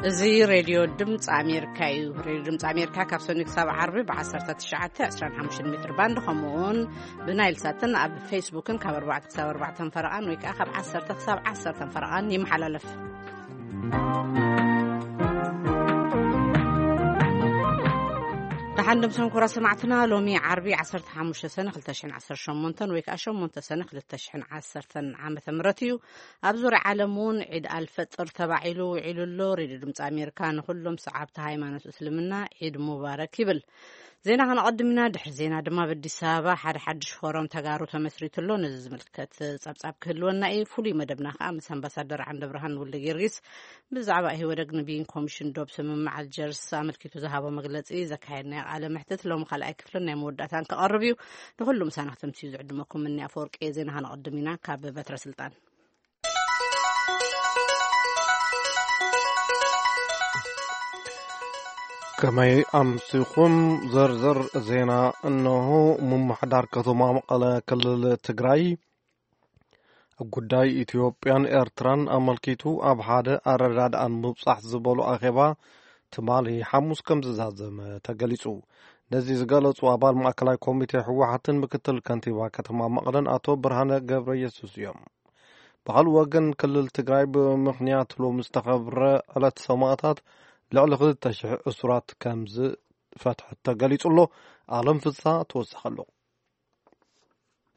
እዚ ሬድዮ ድምፂ ኣሜሪካ እዩ። ሬድዮ ድምፂ ኣሜሪካ ካብ ሰኑይ ክሳብ ዓርቢ ብ19፣ 25 ሜትር ባንድ፣ ከምኡውን ብናይል ሳትን ኣብ ፌስቡክን ካብ ኣርባዕተ ክሳብ ኣርባዕተ ፈረቓን ወይ ከዓ ካብ ዓሰርተ ክሳብ ዓሰርተ ፈረቓን ይመሓላለፍ። ደሓን ድምሶም ክቡራት ሰማዕትና፣ ሎሚ ዓርቢ ዓሰርተ ሓሙሽተ ሰነ ክልተ ሽሕን ዓሰርተ ሸሞንተን ወይ ከዓ ሸሞንተ ሰነ ክልተ ሽሕን ዓሰርተን ዓመተ ምህረት እዩ። ኣብ ዙርያ ዓለም እውን ዒድ ኣልፈጥር ተባዒሉ ውዒሉ ኣሎ። ሬድዮ ድምፂ ኣሜሪካ ንኩሎም ሰዓብቲ ሃይማኖት እስልምና ዒድ ሙባረክ ይብል። ዜና ከነቐድም ኢና። ድሕሪ ዜና ድማ ኣብ ኣዲስ ኣበባ ሓደ ሓድሽ ፎረም ተጋሩ ተመስሪቱ ኣሎ። ነዚ ዝምልከት ጸብጻብ ክህልወና እዩ። ፍሉይ መደብና ከኣ ምስ ኣምባሳደር ዓንደ ብርሃን ወልደ ጊዮርጊስ ብዛዕባ ኢህወደግ ንብይን ኮሚሽን ዶብ ስምምዕ ኣልጀርስ ኣመልኪቱ ዝሃቦ መግለጺ ዘካየድናዮ ቃለ መሕትት ሎሚ ካልኣይ ክፍልን ናይ መወዳእታን ክቐርብ እዩ። ንኹሉ ምሳና ክትምስዩ ዝዕድመኩም እኒ ኣፈወርቂ። ዜና ከነቐድም ኢና ካብ በትረ ስልጣን። ከመይ ኣምሲኹም? ዝርዝር ዜና እነሆ። ምምሕዳር ከተማ መቐለ ክልል ትግራይ ኣብ ጉዳይ ኢትዮጵያን ኤርትራን ኣመልኪቱ ኣብ ሓደ ኣረዳድኣን ምብጻሕ ዝበሉ ኣኼባ ትማሊ ሓሙስ ከም ዝዛዘመ ተገሊጹ። ነዚ ዝገለጹ ኣባል ማእከላይ ኮሚቴ ህወሓትን ምክትል ከንቲባ ከተማ መቐለን ኣቶ ብርሃነ ገብረ ኢየሱስ እዮም። ብኻልእ ወገን ክልል ትግራይ ብምኽንያት ሎሚ ዝተኸብረ ዕለት ሰማእታት ልዕሊ ክልተ ሽሕ እሱራት ከም ዝፈትሐት ተገሊጹ ኣሎ። ኣለም ፍሳ ተወሰኸ ኣሎ።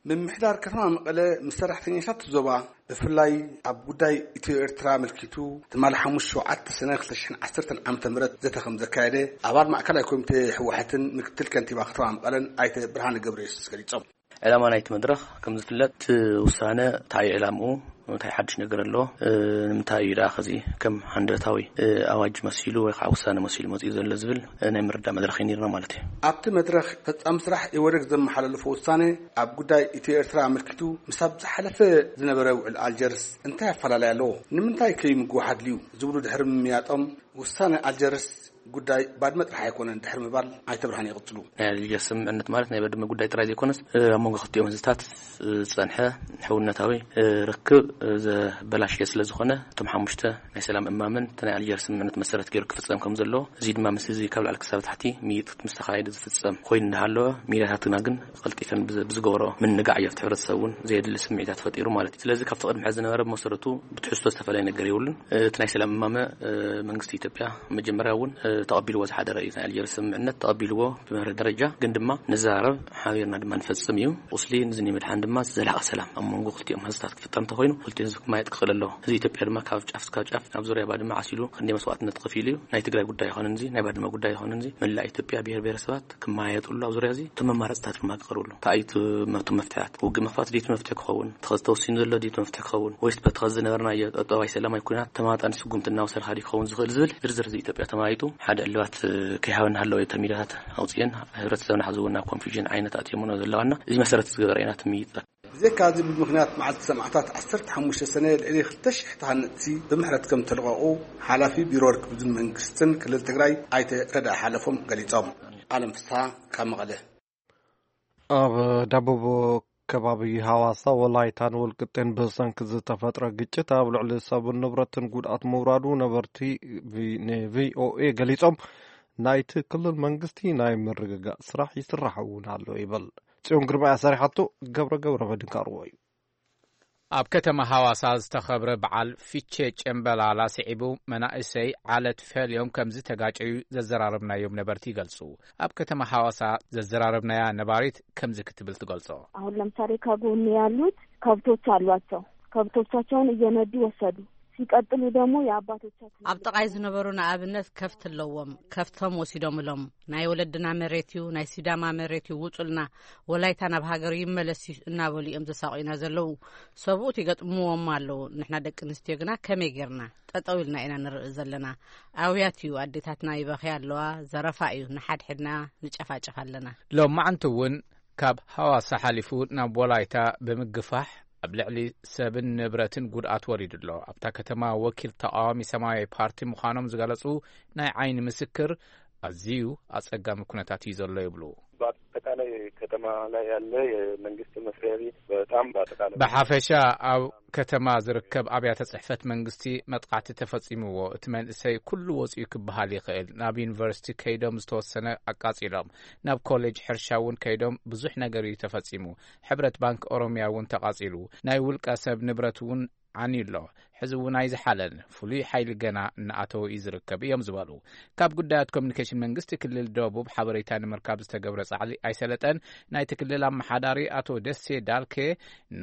ምምሕዳር ከተማ መቐለ ምስ ሰራሕተኛታት ዞባ ብፍላይ ኣብ ጉዳይ ኢትዮ ኤርትራ ኣመልኪቱ ትማሊ ሓሙስ ሸውዓተ ሰነ ክልተ ሽሕን ዓሰርተን ዓመተ ምህረት ዘተ ከም ዘካየደ ኣባል ማእከላይ ኮሚቴ ህወሓትን ምክትል ከንቲባ ከተማ መቐለን ኣይተ ብርሃነ ገብረየሱስ ገሊጾም። ዕላማ ናይቲ መድረኽ ከም ዝፍለጥ እቲ ውሳነ እንታይ እዩ ዕላምኡ? እንታይ ሓድሽ ነገር ኣሎ? እ፣ ንምንታይ እዩ ደኣ ከዚ ከም ሃንደበታዊ፣ እ፣ ኣዋጅ መሲሉ ወይ ከዓ ውሳነ መሲሉ መጺኡ ዘሎ ዝብል፣ እ፣ ናይ ምርዳእ መድረኽ እዩ ነይርና ማለት እዩ። ኣብቲ መድረኽ ፈጻሚ ስራሕ ኢህወደግ ዘመሓላለፎ ውሳነ ኣብ ጉዳይ ኢትዮ ኤርትራ ኣመልኪቱ ምስ ኣብ ዝሓለፈ ዝነበረ ውዕል ኣልጀርስ እንታይ ኣፈላለይ ኣለዎ? ንምንታይ ከይምግዋሕ ኣድልዩ? ዝብሉ ድሕሪ ምምያጦም ውሳነ ኣልጀርስ ጉዳይ ባድመ ጥራሕ ኣይኮነን ድሕሪ ምባል ኣይተ ብርሃን ይቕጽሉ። ናይ ኣልጀርስ ስምምዕነት ማለት ናይ ባድመ ጉዳይ ጥራይ ዘይኮነስ፣ እ፣ ኣብ መንጎ ክልቲኦም ህዝብታት ዝጸንሐ ሕውነታዊ፣ እ፣ ርክብ፣ እ፣ ዘበላሽየ ስለ ዝኾነ፣ እቶም ሓሙሽተ ናይ ሰላም እማምን እቲ ናይ ኣልጀርስ ስምምዕነት መሰረት ገይሩ ክፍጸም ከም ዘለዎ፣ እዚ ድማ ምስ ህዝቢ ካብ ላዕሊ ክሳብ ታሕቲ ምይይጥ ምስ ተኻየደ ዝፍጸም ኮይኑ እንዳሃለወ፣ ሚድያታትና ግን ቀልጢፈን ብዝ-፣ ብዝገብሮ ምንጋዕ እዩ ኣብቲ ሕብረተሰብ እውን ዘየድሊ ስምዒታት ፈጢሩ ማለት እዩ። ስለዚ ካብቲ ቅድሚ ሕዚ ዝነበረ ብመሰረቱ ብትሕዝቶ ዝተፈላለየ ነገር የብሉን። እቲ ናይ ሰላም እማመ፣ እ፣ መንግስቲ ኢትዮጵያ መጀመርያ እውን፣ እ፣ ተቐቢልዎ ዝሓደረ እዩ። ናይ ኣልጀርስ ስምምዕነት ተቐቢልዎ ብመርህ ደረጃ፣ ግን ድማ ንዘራረብ ሓቢርና ድማ ንፈጽም እዩ። ቁስሊ ንዝኒ ምድሓን ድማ ዘላቒ ሰላም ኣብ መንጎ ክልቲኦም ህዝብታት ክፍጠር እንተኾይኑ ክልቲኡ ህዝቢ ክማየጥ ክኽእል ኣለዎ። ህዝቢ ኢትዮጵያ ድማ ካብ ጫፍ እስካብ ጫፍ ኣብ ዙርያ ባድመ ዓሲሉ ክንደይ መስዋዕትነት ከፊሉ እዩ። ናይ ትግራይ ጉዳይ ይኾን እንዚ፣ ናይ ባድመ ጉዳይ ይኾን እንዚ፣ መላእ ኢትዮጵያ ብሄር ብሄረሰባት ክመያየጥሉ ኣብ ዙርያ እዚ እቶም መማረፅታት ድማ ክቐርብሉ። እንታይ እዩ እቲ መ-፣ እቶም መፍትሕታት? ውግእ ምኽፋት ድዩ እቲ መፍትሒ ክኸውን? ተኸ-፣ ተወሲኑ ዘሎ ድዩ እቲ መፍትሒ ክኸውን? ወይስ በቲ ኸዚ ዝነበርናዮ ጠጠዋይ ሰላማዊ ኩናት ተማጣኒ ስጉምቲ እናወሰድካ ድዩ ክኸውን ዝኽእል ዝብል ዝርዝር ህዝቢ ኢትዮጵያ ተመያይጡ ሓደ ዕልባት፣ እ፣ ከይሃበ እናሃለወ እዩ እተን ሚድያታት ኣውፅኤን ሕብረተሰብና ሕዚ እውን ናብ ኮንፊዥን ዓይነት ኣትዮምኖ ዘለዋና። እዚ መሰረት ዝገበረ ኢና ትምይጥ። ብዘይካ እዚ ብምኽንያት መዓልቲ ሰማእታት ዓሰርተ ሓሙሽተ ሰነ ልዕሊ ክልተ ሽሕ ተሃነፅቲ ብምሕረት ከም ተለቐቑ ሓላፊ ቢሮ ርክብ ህዝብን መንግስትን ክልል ትግራይ ኣይተ ረዳ ሓለፎም ገሊፆም። ኣለም ፍስሓ ካብ መቐለ። ኣብ ደቡብ ከባቢ ሃዋሳ፣ ወላይታን ወልቅጤን ብሰንኪ ዝተፈጥረ ግጭት ኣብ ልዕሊ ሰብን ንብረትን ጉድኣት ምውራዱ ነበርቲ ቪ-፣ ንቪኦኤ ገሊጾም፣ ናይቲ ክልል መንግስቲ ናይ ምርግጋእ ስራሕ ይስራሕ እውን ኣሎ ይብል። ጽዮን ግርማ እያ ሰሪሓቶ፣ ገብረ ገብረ መድህን ካርዎ እዩ። ኣብ ከተማ ሃዋሳ ዝተኸብረ በዓል ፊቼ ጨምበላላ ስዒቡ መናእሰይ ዓለት ፈልዮም ከም ዝተጋጨዩ ዘዘራረብናዮም ነበርቲ ይገልጹ። ኣብ ከተማ ሃዋሳ ዘዘራረብናያ ነባሪት ከምዚ ክትብል ትገልጾ። አሁን ለምሳሌ ከጎን ያሉት ከብቶች አሏቸው። ከብቶቻቸውን እየነዱ ወሰዱ። ሲቀጥሉ ደግሞ የአባቶቻችን ኣብ ጥቓይ ዝነበሩ ንኣብነት ከፍቲ ኣለዎም። ከፍቶም ወሲዶምሎም። ናይ ወለድና መሬት እዩ፣ ናይ ሲዳማ መሬት እዩ፣ ውጹልና፣ ወላይታ ናብ ሃገሩ ይመለስ እዩ እናበሉ እዮም ዘሳቑዩና ዘለዉ። ሰብኡት ይገጥምዎም ኣለዉ። ንሕና ደቂ ኣንስትዮ ግና ከመይ ጌርና? ጠጠው ኢልና ኢና ንርኢ ዘለና። ኣውያት እዩ፣ ኣዴታትና ይበኽያ ኣለዋ። ዘረፋ እዩ፣ ንሓድሕድና ንጨፋጨፍ ኣለና። ሎማዓንቲ እውን ካብ ሃዋሳ ሓሊፉ ናብ ወላይታ ብምግፋሕ ኣብ ልዕሊ ሰብን ንብረትን ጉድኣት ወሪዱ ኣሎ። ኣብታ ከተማ ወኪል ተቃዋሚ ሰማያዊ ፓርቲ ምዃኖም ዝገለጹ ናይ ዓይኒ ምስክር ኣዝዩ ኣጸጋሚ ኩነታት እዩ ዘሎ ይብሉ። በአጠቃላይ ከተማ ላይ ያለ የመንግስት መስሪያ ቤት በጣም በአጠቃላይ ብሓፈሻ ኣብ ከተማ ዝርከብ ኣብያተ ጽሕፈት መንግስቲ መጥቃዕቲ ተፈጺምዎ። እቲ መንእሰይ ኩሉ ወጺኡ ክበሃል ይኽእል። ናብ ዩኒቨርሲቲ ከይዶም ዝተወሰነ ኣቃጺሎም። ናብ ኮሌጅ ሕርሻ እውን ከይዶም ብዙሕ ነገር እዩ ተፈጺሙ። ሕብረት ባንክ ኦሮሚያ እውን ተቓጺሉ። ናይ ውልቀ ሰብ ንብረት እውን ዓንዩ ኣሎ። ሕዚ እውን ኣይዝሓለን። ፍሉይ ሓይሊ ገና እናኣተወ እዩ ዝርከብ እዮም ዝበሉ። ካብ ጉዳያት ኮሚኒኬሽን መንግስቲ ክልል ደቡብ ሓበሬታ ንምርካብ ዝተገብረ ጻዕሊ ኣይሰለጠን። ናይቲ ክልል ኣመሓዳሪ ኣቶ ደሴ ዳልኬ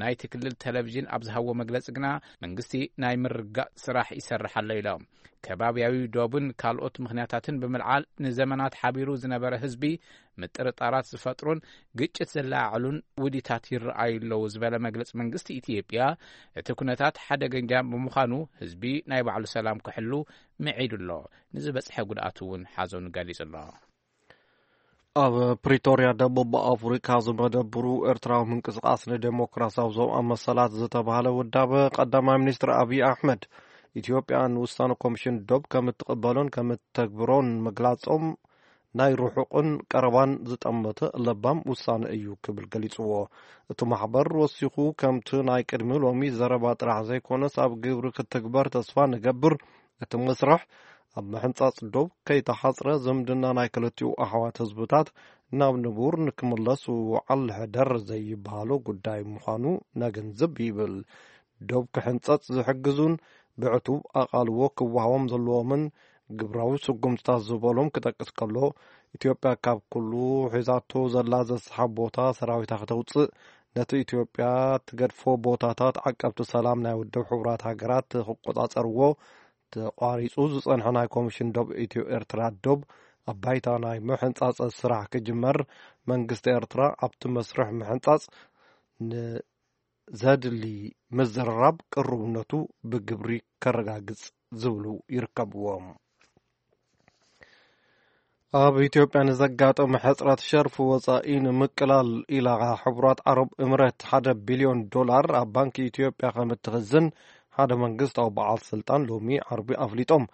ናይቲ ክልል ቴሌቪዥን ኣብ ዝሃቦ መግለጺ ግና መንግስቲ ናይ ምርጋእ ስራሕ ይሰርሕ ኣሎ ኢሎም። ከባብያዊ ዶብን ካልኦት ምኽንያታትን ብምልዓል ንዘመናት ሓቢሩ ዝነበረ ህዝቢ ምጥርጣራት ዝፈጥሩን ግጭት ዘለዓዕሉን ውዲታት ይረኣዩ ኣለዉ ዝበለ መግለጺ መንግስቲ ኢትዮጵያ፣ እቲ ኩነታት ሓደገኛ ብምዃኑ ህዝቢ ናይ ባዕሉ ሰላም ክሕሉ ምዒዱ ኣሎ። ንዝበጽሐ ጉድኣት እውን ሓዘኑ ገሊጹ ኣሎ። ኣብ ፕሪቶርያ ደቡብ ኣፍሪካ ዝመደብሩ ኤርትራዊ ምንቅስቃስ ንዴሞክራሲያዊ ዞባዊ መሰላት ዝተባህለ ውዳበ ቀዳማይ ሚኒስትር ኣብይ ኣሕመድ ኢትዮጵያ ንውሳነ ኮሚሽን ዶብ ከም እትቕበሎን ከም እትተግብሮን ምግላጾም ናይ ርሑቕን ቀረባን ዝጠመተ ለባም ውሳነ እዩ ክብል ገሊጽዎ። እቲ ማሕበር ወሲኹ፣ ከምቲ ናይ ቅድሚ ሎሚ ዘረባ ጥራሕ ዘይኮነስ ኣብ ግብሪ ክትግበር ተስፋ ንገብር። እቲ መስርሕ ኣብ ምሕንጻጽ ዶብ ከይተሓጽረ ዝምድና ናይ ክልቲኡ ኣሕዋት ህዝብታት ናብ ንቡር ንክምለስ ውዓል ሕደር ዘይበሃሎ ጉዳይ ምዃኑ ነግንዝብ ይብል። ዶብ ክሕንጸጽ ዝሕግዙን ብዕቱብ ኣቓልቦ ክወሃቦም ዘለዎምን ግብራዊ ስጉምትታት ዝበሎም ክጠቅስ ከሎ፣ ኢትዮጵያ ካብ ኩሉ ሒዛቶ ዘላ ዘስሓብ ቦታ ሰራዊታ ክተውጽእ፣ ነቲ ኢትዮጵያ ትገድፎ ቦታታት ዓቀብቲ ሰላም ናይ ውድብ ሕቡራት ሃገራት ክቆጻጸርዎ፣ ተቋሪጹ ዝጸንሐ ናይ ኮሚሽን ዶብ ኢትዮ ኤርትራ ዶብ ኣብ ባይታ ናይ ምሕንጻጽ ስራሕ ክጅመር፣ መንግስቲ ኤርትራ ኣብቲ መስርሕ ምሕንጻጽ ንዘድሊ ምዝርራብ ቅሩብነቱ ብግብሪ ከረጋግጽ ዝብሉ ይርከብዎም። ኣብ ኢትዮጵያ ንዘጋጠመ ሕጽረት ሸርፊ ወጻኢ ንምቅላል ኢላ ሕቡራት ዓረብ እምረት ሓደ ቢልዮን ዶላር ኣብ ባንኪ ኢትዮጵያ ከም እትኽዝን ሓደ መንግስታዊ በዓል ስልጣን ሎሚ ዓርቢ ኣፍሊጦም።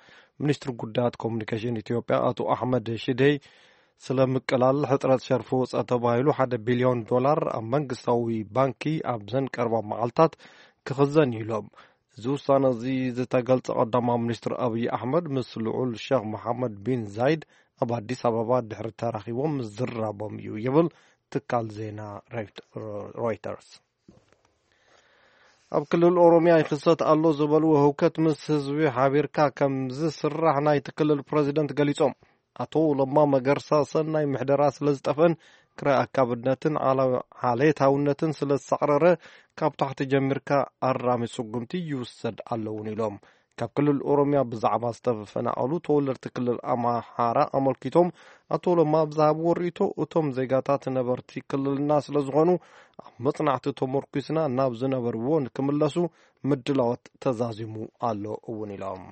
ሚኒስትሪ ጉዳያት ኮሙኒኬሽን ኢትዮጵያ ኣቶ ኣሕመድ ሽዴ፣ ስለ ምቅላል ሕጽረት ሸርፊ ወጻኢ ተባሂሉ ሓደ ቢልዮን ዶላር ኣብ መንግስታዊ ባንኪ ኣብዘን ቀረባ መዓልታት ክኽዘን እዩ ኢሎም። እዚ ውሳነ እዚ ዝተገልጸ ቀዳማዊ ሚኒስትር ኣብይ ኣሕመድ ምስ ልዑል ሸኽ መሓመድ ቢን ዛይድ ኣብ ኣዲስ ኣበባ ድሕሪ ተራኺቦም ምዝራቦም እዩ ይብል ትካል ዜና ሮይት-፣ ሮይተርስ። ኣብ ክልል ኦሮሚያ ይኽሰት ኣሎ ዝበልዎ ህውከት ምስ ህዝቢ ሓቢርካ ከም ዝስራሕ ናይቲ ክልል ፕረዚደንት ገሊጾም። ኣቶ ለማ መገርሳ ሰናይ ምሕደራ ስለ ዝጠፍአን ክራይ ኣካብነትን ዓላ-፣ ዓሌታውነትን ስለ ዝሳዕረረ ካብ ታሕቲ ጀሚርካ ኣራሚ ስጉምቲ ይውሰድ ኣለውን ኢሎም። ካብ ክልል ኦሮሚያ ብዛዕባ ዝተፈናቐሉ ተወለድቲ ክልል ኣምሓራ ኣመልኪቶም ኣቶ ለማ ኣብ ዝሃብዎ ርእይቶ፣ እቶም ዜጋታት ነበርቲ ክልልና ስለ ዝኾኑ ኣብ መጽናዕቲ ተመርኲስና ናብ ዝነበርዎ ንክምለሱ ምድላዋት ተዛዚሙ ኣሎ እውን ኢሎም።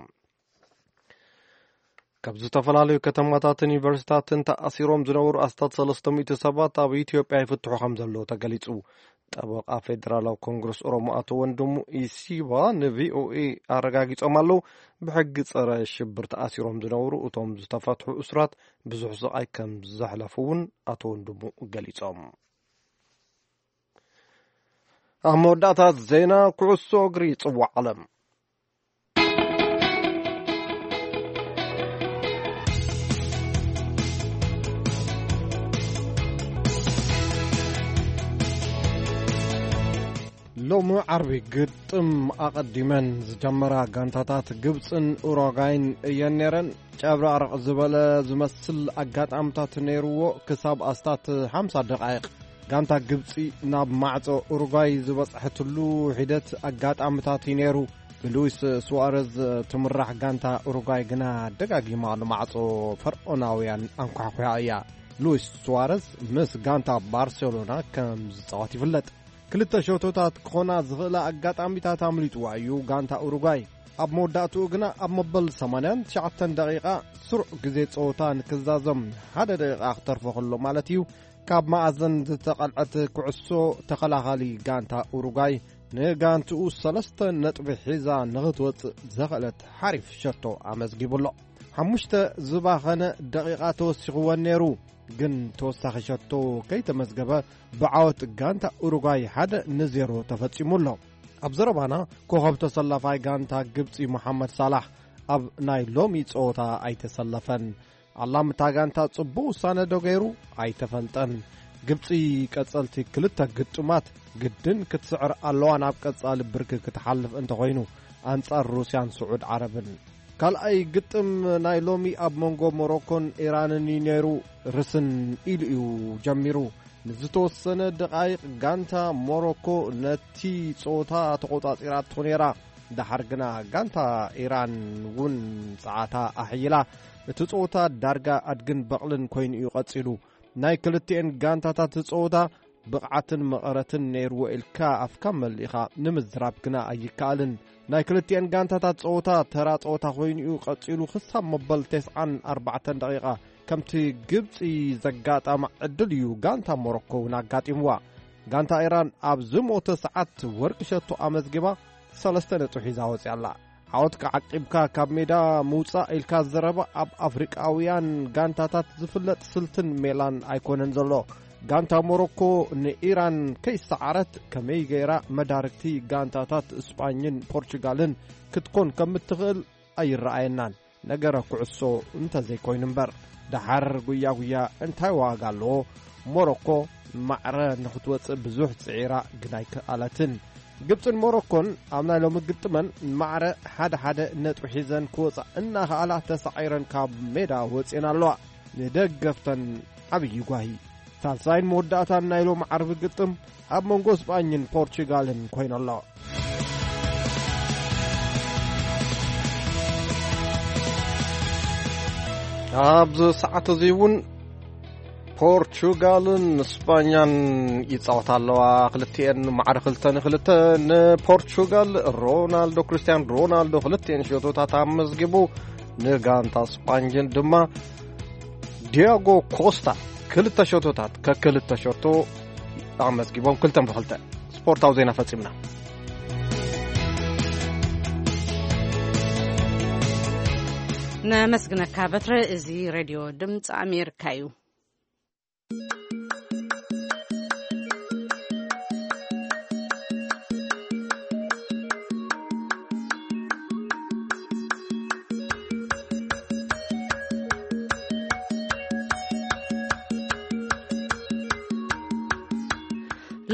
ካብ ዝተፈላለዩ ከተማታትን ዩኒቨርሲታትን ተኣሲሮም ዝነበሩ ኣስታት ሰለስተ ሚእቲ ሰባት ኣብ ኢትዮጵያ ይፍትሑ ከም ዘለዉ ተገሊጹ። ጠበቓ ፌደራላዊ ኮንግረስ ኦሮሞ ኣቶ ወንድሙ ኢሲባ ንቪኦኤ ኣረጋጊጾም ኣለዉ። ብሕጊ ጸረ ሽብር ተኣሲሮም ዝነበሩ እቶም ዝተፈትሑ እሱራት ብዙሕ ስቓይ ከም ዘሕለፉ እውን ኣቶ ወንድሙ ገሊጾም። ኣብ መወዳእታ ዜና ኩዕሶ እግሪ ጽዋዕ ዓለም። ሎሚ ዓርቢ ግጥም ኣቐዲመን ዝጀመራ ጋንታታት ግብፅን ኡሩጓይን እየን ነይረን። ጨብራቕረቕ ዝበለ ዝመስል ኣጋጣምታት ነይርዎ ክሳብ ኣስታት ሓምሳ ደቓይቕ። ጋንታ ግብፂ ናብ ማዕጾ ኡሩጓይ ዝበጽሐትሉ ሒደት ኣጋጣምታት እዩ ነይሩ። ብሉዊስ ሱዋረዝ ትምራሕ ጋንታ ኡሩጓይ ግና ደጋጊማ ንማዕጾ ፈርዖናውያን ኣንኳሕኲሓ እያ። ሉዊስ ሱዋረዝ ምስ ጋንታ ባርሴሎና ከም ዝጻወት ይፍለጥ። ክልተ ሸቶታት ክኾና ዝኽእላ ኣጋጣሚታት ኣምሊጥዋ እዩ ጋንታ ኡሩጓይ። ኣብ መወዳእትኡ ግና ኣብ መበል ሰማንያን ትሽዓተን ደቂቓ ስሩዕ ግዜ ጸወታ ንክዛዘም ሓደ ደቂቓ ክተርፎ ከሎ ማለት እዩ፣ ካብ መኣዘን ዝተቐልዐት ኩዕሶ ተኸላኻሊ ጋንታ ኡሩጓይ ንጋንትኡ ሰለስተ ነጥቢ ሒዛ ንኽትወጽእ ዘኽእለት ሓሪፍ ሸቶ ኣመዝጊቡ ኣሎ። ሓሙሽተ ዝባኸነ ደቂቓ ተወሲኽወን ነይሩ። ግን ተወሳኺ ሸቶ ከይተመዝገበ ብዓወት ጋንታ ኡሩጓይ ሓደ ንዜሮ ተፈጺሙ ኣሎ። ኣብ ዘረባና ኮኸብ ተሰላፋይ ጋንታ ግብጺ መሓመድ ሳላሕ ኣብ ናይ ሎሚ ጸወታ ኣይተሰለፈን። ኣላምታ ጋንታ ጽቡቕ ውሳነ ዶ ገይሩ ኣይተፈልጠን። ግብጺ ቀጸልቲ ክልተ ግጥማት ግድን ክትስዕር ኣለዋ ናብ ቀጻሊ ብርኪ ክትሓልፍ እንተኾይኑ ኣንጻር ሩስያን ስዑድ ዓረብን። ካልኣይ ግጥም ናይ ሎሚ ኣብ መንጎ ሞሮኮን ኢራንን እዩ ነይሩ። ርስን ኢሉ እዩ ጀሚሩ። ንዝተወሰነ ደቓይቕ ጋንታ ሞሮኮ ነቲ ጸወታ ተቖጻጺራቶ ነይራ። ደሓር ግና ጋንታ ኢራን እውን ጸዓታ ኣሕይላ። እቲ ጸወታ ዳርጋ ኣድግን በቕልን ኮይኑ እዩ ቀጺሉ። ናይ ክልቲኤን ጋንታታት ጸወታ ብቕዓትን መቐረትን ነይርዎ ኢልካ ኣፍካ መሊእኻ ንምዝራብ ግና ኣይከኣልን። ናይ ክልቲኤን ጋንታታት ጸወታ ተራ ጸወታ ኮይኑ እዩ ቀጺሉ ክሳብ መበል ተስዓን ኣርባዕተን ደቂቓ። ከምቲ ግብጺ ዘጋጠማ ዕድል እዩ ጋንታ ሞሮኮ እውን ኣጋጢምዋ። ጋንታ ኢራን ኣብ ዝሞተ ሰዓት ወርቂ ሸቶ ኣመዝጊባ ሰለስተ ነጥቢ ሒዛ ወጺኣ ኣላ። ዓወትካ ዓቂብካ ካብ ሜዳ ምውጻእ ኢልካ ዘረባ ኣብ ኣፍሪቃውያን ጋንታታት ዝፍለጥ ስልትን ሜላን ኣይኮነን ዘሎ። ጋንታ ሞሮኮ ንኢራን ከይሰዓረት ከመይ ገይራ መዳርግቲ ጋንታታት እስጳኝን ፖርቹጋልን ክትኮን ከም እትኽእል ኣይረኣየናን። ነገረ ኩዕሶ እንተዘይኮይኑ እምበር። ደሓር ጉያ ጉያ እንታይ ዋጋ ኣለዎ? ሞሮኮ ማዕረ ንኽትወጽእ ብዙሕ ጽዒራ ግን ኣይከኣለትን። ግብጽን ሞሮኮን ኣብ ናይ ሎሚ ግጥመን ማዕረ ሓደ ሓደ ነጥቢ ሒዘን ክወጻ እናኸኣላ ተሳዒረን ካብ ሜዳ ወጺኤን ኣለዋ። ንደገፍተን ዓብዪ ጓሂ። ሳልሳይን መወዳእታን ናይ ሎሚ ዓርቢ ግጥም ኣብ መንጎ ስጳኝን ፖርቹጋልን ኮይኑ ኣሎ። ኣብዚ ሰዓት እዚ እውን ፖርቹጋልን ስጳኛን ይጻወታ ኣለዋ። ክልቲኤን ማዕረ ክልተ ንክልተ። ንፖርቹጋል ሮናልዶ፣ ክርስቲያን ሮናልዶ ክልቲኤን ሸቶታት ኣመዝጊቡ፣ ንጋንታ ስጳኝን ድማ ዲያጎ ኮስታ ክልተ ሸቶታት፣ ከክልተ ሸቶ ኣመዝጊቦም፣ ክልተን ብክልተ። ስፖርታዊ ዜና ፈጺምና። ነመስግነካ በትረ። እዚ ሬድዮ ድምፂ ኣሜሪካ እዩ።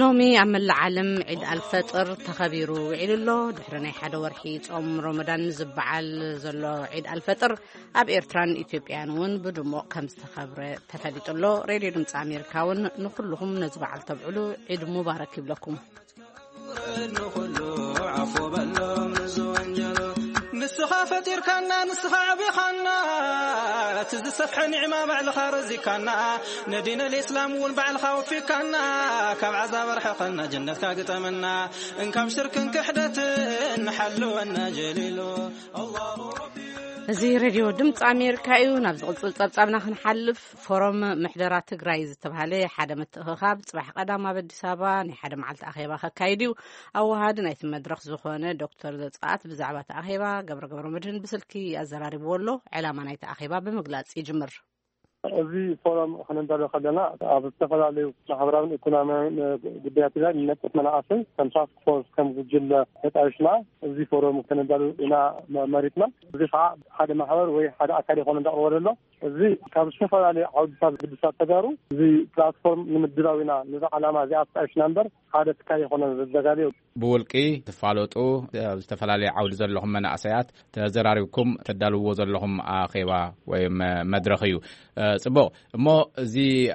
ሎሚ ኣብ መላእ ዓለም ዒድ ኣልፈጥር ተኸቢሩ ውዒሉ ኣሎ። ድሕሪ ናይ ሓደ ወርሒ ጾም ሮመዳን ዝበዓል ዘሎ ዒድ ኣልፈጥር ኣብ ኤርትራን ኢትዮጵያን እውን ብድሙቕ ከም ዝተኸብረ ተፈሊጡ ኣሎ። ሬድዮ ድምፂ ኣሜሪካ እውን ንኹልኹም ነዚ በዓል ተብዕሉ ዒድ ሙባረክ ይብለኩም። ንኹሉ ዓፎ በሎም ንዝወንጀሎ። ንስኻ ፈጢርካና፣ ንስኻ ኣዕቢኻና፣ እቲ ዝሰፍሐ ኒዕማ ባዕልኻ ረዚካና፣ ንዲን ኣልእስላም እውን ባዕልኻ ወፊካና፣ ካብ ዓዛብ ኣርሕቐና፣ ጀነትካ ግጠመና፣ እንካብ ሽርክን ክሕደትን ሓልወና ጀሊሉ። ኣላሁ ረቢ። እዚ ሬድዮ ድምፂ ኣሜሪካ እዩ። ናብ ዝቕጽል ጸብጻብና ክንሓልፍ፣ ፎረም ምሕደራ ትግራይ ዝተባህለ ሓደ ምትእኽኻብ ጽባሕ ቀዳም ኣብ ኣዲስ ኣበባ ናይ ሓደ መዓልቲ ኣኼባ ከካይድ እዩ። ኣወሃዲ ናይቲ መድረኽ ዝኾነ ዶክተር ዘጸኣት ብዛዕባ እቲ ኣኼባ ገብረ ገብረ መድህን ብስልኪ ኣዘራሪብዎ ኣሎ። ዕላማ ናይቲ ኣኼባ ብምግላጽ ይጅምር። እዚ ፎረም ክንዳሎ ከለና ኣብ ዝተፈላለዩ ማሕበራውን ኢኮኖሚያውን ጉዳያት ትግራይ ንነጥፍ መናእሰይ ከም ታስክ ፎርስ ከም ጉጅለ ተጣይሽና እዚ ፎረም ክንዳሎ ኢና መ-፣ መሪትና። እዚ ከዓ ሓደ ማሕበር ወይ ሓደ ኣካል ይኾነ እንዳቕረበ ዘሎ። እዚ ካብ ዝተፈላለዩ ዓውድታት ግድሳት ተጋሩ እዚ ፕላትፎርም ንምድላው ኢና ነዚ ዓላማ እዚኣ ኣጣይሽና እምበር ሓደ ትካል ይኾነ ዘዘጋልዮ። ብውልቂ ትፋለጡ፣ ኣብ ዝተፈላለዩ ዓውዲ ዘለኹም መናእሰያት ተዘራሪብኩም ተዳልውዎ ዘለኹም ኣኼባ ወይ መ-፣ መድረኽ እዩ። እ፣ ጽቡቕ። እሞ እዚ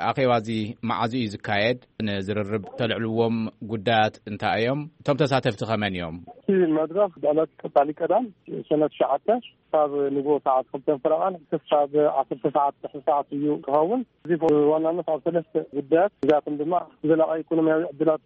ኣኼባ እዚ መዓዝ እዩ ዝካየድ? ንዝርርብ ተልዕልዎም ጉዳያት እንታይ እዮም? እቶም ተሳተፍቲ ከመን እዮም? እቲ መድረኽ ብዕለት ቀጻሊ ቀዳም ሰነ ትሽዓተ ክሳብ ንግሆ ሰዓት ክልተን ፈረቓን ክሳብ ዓሰርተ ሰዓት ድሕሪ ሰዓት እዩ ክኸውን። እዚ ብዋናነት ኣብ ሰለስተ ጉዳያት፣ እዚኣቶም ድማ ዘላቒ ኢኮኖሚያዊ ዕድላት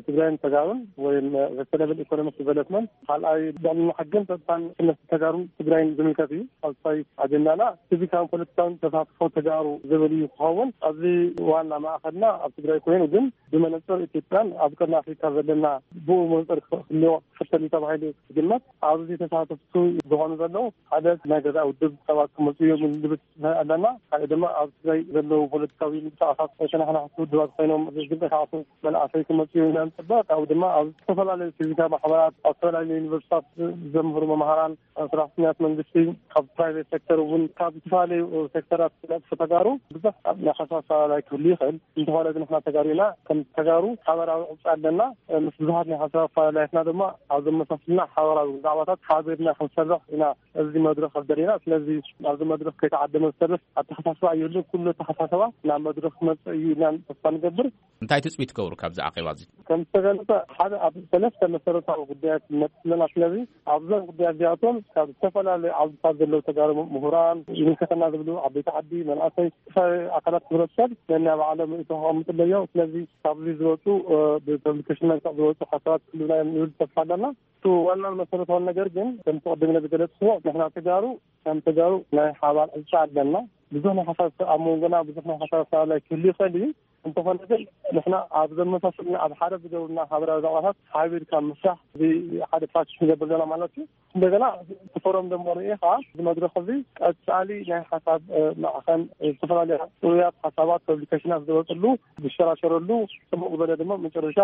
ትግራይን ተጋሩን ወይም ሰስተነብል ኢኮኖሚክ ዲቨሎፕመንት፣ ካልኣይ ልዕልና ሕግን ጸጥታን ክነስ ተጋሩን ትግራይን ዝምልከት እዩ። ሳልሳይ ኣጀንዳና ሲቪካውን ፖለቲካውን ተሳትፎ ተጋሩ ዝብል እዩ ክኸውን። ኣብዚ ዋና ማእኸልና ኣብ ትግራይ ኮይኑ ግን ብመነጽር ኢትዮጵያን ኣብ ቀርኒ ኣፍሪካ ዘለና ብኡ መነጽር ክህልዎ ክፍተል እዩ ተባሂሉ ዝግመት። ኣብዚ ተሳተፍቱ ዝኾኑ ዘለዉ ሓደ ናይ ገዛ ውድብ ሰባት ክመፁ እዮም ንብል ኣለና። ሓደ ድማ ኣብ ትግራይ ዘለዉ ፖለቲካዊ ምንቅስቃሳት ተናሓናሕቲ ውድባት ኮይኖም ዝንቀሳቀሱ መናእሰይ ክመፁ እዮም ኢና ንፅበ። ካብኡ ድማ ኣብ ዝተፈላለዩ ሲቪካ ማሕበራት፣ ኣብ ዝተፈላለዩ ዩኒቨርሲታት ዘምህሩ መምሃራን፣ ሰራሕተኛት መንግስቲ፣ ካብ ፕራይቬት ሴክተር እውን፣ ካብ ዝተፈላለዩ ሴክተራት ዝነጥፉ ተጋሩ ብዙሕ ናይ ሓሳብ ኣፈላላይ ክህሉ ይኽእል። እንተኾነ ግን ንሕና ተጋሩ ኢና። ከም ተጋሩ ሓበራዊ ቅርፂ ኣለና። ምስ ብዙሓት ናይ ሓሳብ ኣፈላላያትና ድማ ኣብ ዘመሳስልና ሓበራዊ ዛዕባታት ሓቢርና ክንሰርሕ ኢና። እዚ መድረኽ ኣብ ደሊና። ስለዚ ኣብዚ መድረኽ ከይተዓደመ ዝሰርሕ ኣተሓሳስባ የለን። ኩሉ ኣተሓሳስባ ናብ መድረኽ ክመፅእ እዩ ኢልና ተስፋ ንገብር። እንታይ ትፅቢት ትገብሩ ካብዚ ኣኼባ እዚ? ከም ዝተገለጸ፣ ሓደ ኣብ ሰለስተ መሰረታዊ ጉዳያት ንነጥፍ ኣለና። ስለዚ ኣብዞም ጉዳያት እዚኣቶም ካብ ዝተፈላለዩ ዓውድታት ዘለዉ ተጋሩ ምሁራን፣ ይምልከተና ዝብሉ ዓበይቲ ዓዲ፣ መናእሰይ፣ ዝተፈላለዩ ኣካላት ሕብረተሰብ ነናይ ባዕሎም ርእይቶ ከቐምጡ ኣለዮም። ስለዚ ካብዚ ዝወፁ፣ እ፣ ብፐብሊኬሽን መልክዕ ዝወፁ ሓሳባት ክህልውና እዮም ንብል ተስፋ ኣለና። እቲ ዋናን መሰረታውን ነገር ግን ከምቲ ቅድም ኢለ ዝገለፅኩዎ፣ ንሕና ተጋሩ ከም ተጋሩ ናይ ሓባር ዕጫ ኣለና። ብዙሕ ናይ ሓሳብ ኣብ መንጎና ብዙሕ ናይ ሓሳብ ኣፈላላይ ክህሉ ይኽእል እዩ። እንተኾነ ግን ንሕና ኣብ ዘመሳስልና ኣብ ሓደ ዝገብሩና ሓበራዊ ዛዕባታት ሓቢርካ ምስራሕ እዚ ሓደ ፓኬጅ ክንገብር ዘለና ማለት እዩ። እንደገና እቲ ፎረም ደሞ ርኢኻ እዚ መድረኽ እዚ ቀጻሊ ናይ ሓሳብ፣ እ፣ ማዕኸን፣ እ፣ ዝተፈላለዩ ጥሩያት ሓሳባት ፐብሊኬሽናት ዝወፅሉ ዝሸራሸረሉ ጽቡቕ ዝበለ ድማ መጨረሻ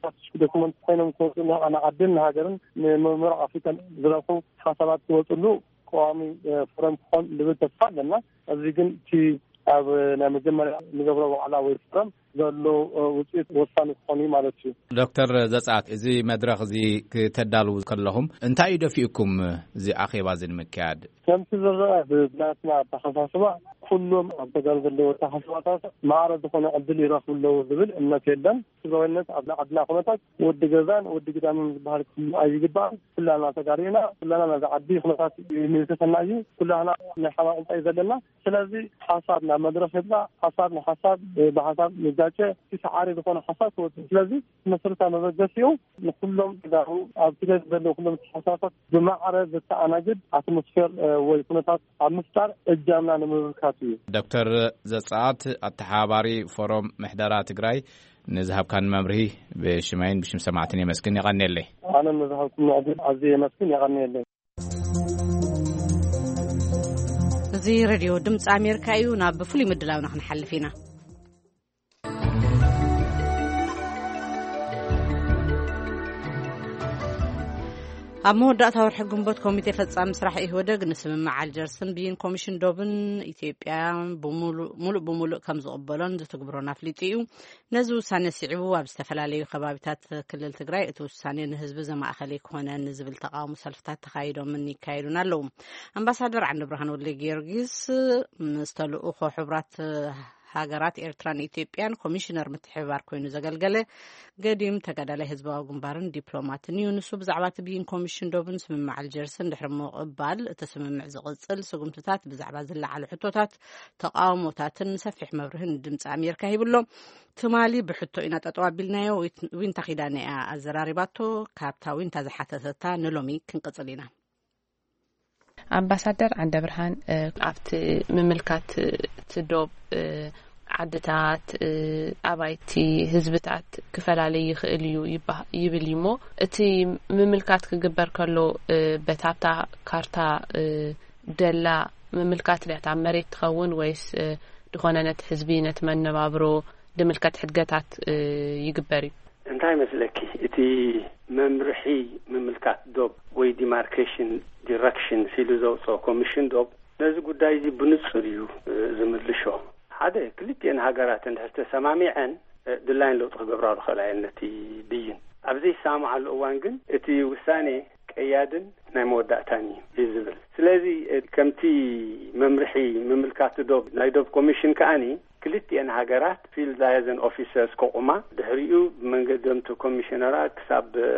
ፓኬጅ ዶክመንት ኮይኖም ክወፁ ንዓድን ንሃገርን ንምብራቕ ኣፍሪካን ዝረብሑ ሓሳባት ክወፅሉ ቀዋሚ፣ እ፣ ፎረም ክኾን ዝብል ተስፋ ኣለና። እዚ ግን እቲ ኣብ ናይ መጀመርያ ንገብሮ ዋዕላ ወይ ፎረም ዘሎ፣ እ፣ ውፅኢት ወሳኒ ክኾን እዩ ማለት እዩ። ዶክተር ዘፀኣት፣ እዚ መድረኽ እዚ ክተዳልዉ ከለኹም እንታይ እዩ ደፊኡኩም እዚ ኣኼባ እዚ ንምክያድ? ከምቲ ዝረአ ብናትና ኣተሓሳስባ ኩሎም ኣብ ተጋሩ ዘለዉ ኣተሓሳስባታት ማዕረ ዝኾነ ዕድል ይረኽቡ ኣለዉ ዝብል እምነት የለን። ትግራዋይነት ኣብ ዓድና ኩነታት ወዲ ገዛን ወዲ ግዳምን ዝበሃል ክህሉ ኣይግባእን። ኩላና ተጋሩ ኢና። ኩላና ናይዛ ዓዲ ኩነታት ይምልከተና እዩ። ኩላና ናይ ሓባር ዕንጻ እዩ ዘለና። ስለዚ ሓሳብ ናብ መድረኽ ይብላ፣ ሓሳብ ንሓሳብ ብሓሳብ ይጋጨ፣ እቲ ሰዓሪ ዝኾነ ሓሳብ ክወጽእ። ስለዚ መሰረታዊ መበገሲኡ ንኩሎም ተጋሩ ኣብ ትግራይ ዘለዉ ኩሎም ተሓሳሳት ብማዕረ ዘተኣናግድ ኣትሞስፌር፣ እ፣ ወይ ኩነታት ኣብ ምፍጣር እጃምና ንምብርካት እዩ። ዶክተር ዘጸኣት፣ ኣተሓባባሪ ፎረም ምሕደራ ትግራይ፣ ንዝሃብካን መብርሂ ብሽመይን ብሽም ሰማዕትን የመስግን። የቐንየለይ። ኣነ ንዝሃብኩም ዕድል ኣዝየ የመስግን። የቐንየለይ። እዚ ሬድዮ ድምፂ ኣሜሪካ እዩ። ናብ ፍሉይ ምድላውና ክንሓልፍ ኢና። ኣብ መወዳእታ ወርሒ ግንቦት ኮሚቴ ፈጻሚ ስራሕ ኢህወደግ ንስምምዕ ኣልጀርስን ብይን ኮሚሽን ዶብን ኢትዮጵያ ብምሉእ፣ ሙሉእ ብምሉእ ከም ዝቕበሎን ዝትግብሮን ኣፍሊጡ እዩ። ነዚ ውሳኔ ስዒቡ ኣብ ዝተፈላለዩ ከባቢታት ክልል ትግራይ እቲ ውሳኔ ንህዝቢ ዘማእኸለ ኣይኮነን ዝብል ተቃውሞ ሰልፍታት ተኻይዶምን ይካየዱን ኣለዉ። ኣምባሳደር ዓንደብርሃን ወልደ ጊዮርጊስ ምስ ተልእኾ ሕቡራት ሃገራት ኤርትራን ኢትዮጵያን ኮሚሽነር ምትሕብባር ኮይኑ ዘገልገለ ገዲም ተጋዳላይ ህዝባዊ ግንባርን ዲፕሎማትን እዩ። ንሱ ብዛዕባ እቲ ብይን ኮሚሽን ዶብን ስምምዕ ኣልጀርስን ድሕሪ ምቕባል እቲ ስምምዕ ዝቕጽል ስጉምትታት ብዛዕባ ዝለዓሉ ሕቶታት፣ ተቃውሞታትን ሰፊሕ መብርሂ ንድምፂ ኣሜሪካ ሂብሎ። ትማሊ ብሕቶ ኢና ጠጠው ኣቢልናዮ። ዊት-፣ ዊንታ ኪዳነ እያ ኣዘራሪባቶ። ካብታ ዊንታ ዝሓተተታ ንሎሚ ክንቅጽል ኢና። ኣምባሳደር ዓንደብርሃን፣ እ፣ ኣብቲ ምምልካት እቲ ዶብ፣ እ፣ ዓድታት፣ እ፣ ኣባይቲ ህዝብታት ክፈላለ ይኽእል እዩ ይበሃ-፣ ይብል እዩ እሞ፣ እቲ ምምልካት ክግበር ከሎ፣ እ፣ በታ ኣብታ ካርታ፣ እ፣ ደላ ምምልካት ድያ እታ መሬት ትኸውን ወይስ፣ እ፣ ድኾነ ነቲ ህዝቢ ነቲ መነባብሮ ድምልከት ሕድገታት፣ እ፣ ይግበር እዩ? እንታይ መስለኪ፣ እቲ መምርሒ ምምልካት ዶብ ወይ ዲማርኬሽን ዲረክሽን ሲሉ ዘውፅኦ ኮሚሽን ዶብ ነዚ ጉዳይ እዚ ብንጹር እዩ፣ እ፣ ዝምልሾ። ሓደ፣ ክልቲኤን ሃገራት እንድሕር ተሰማሚዐን፣ እ፣ ድላይን ለውጢ ክገብራሉ ክኽእላ እየን ነቲ ብይን። ኣብ ዘይሰማማዓሉ እዋን ግን እቲ ውሳኔ ቀያድን ናይ መወዳእታን እዩ እዩ ዝብል። ስለዚ፣ እ፣ ከምቲ መምርሒ ምምልካት ዶብ ናይ ዶብ ኮሚሽን ከኣኒ ክልቲኤን ሃገራት ፊልድ ላያዘን ኦፊሰርስ ከቑማ፣ ድሕሪኡ ብመንገዶም እቲ ኮሚሽነራት ክሳብ፣ እ፣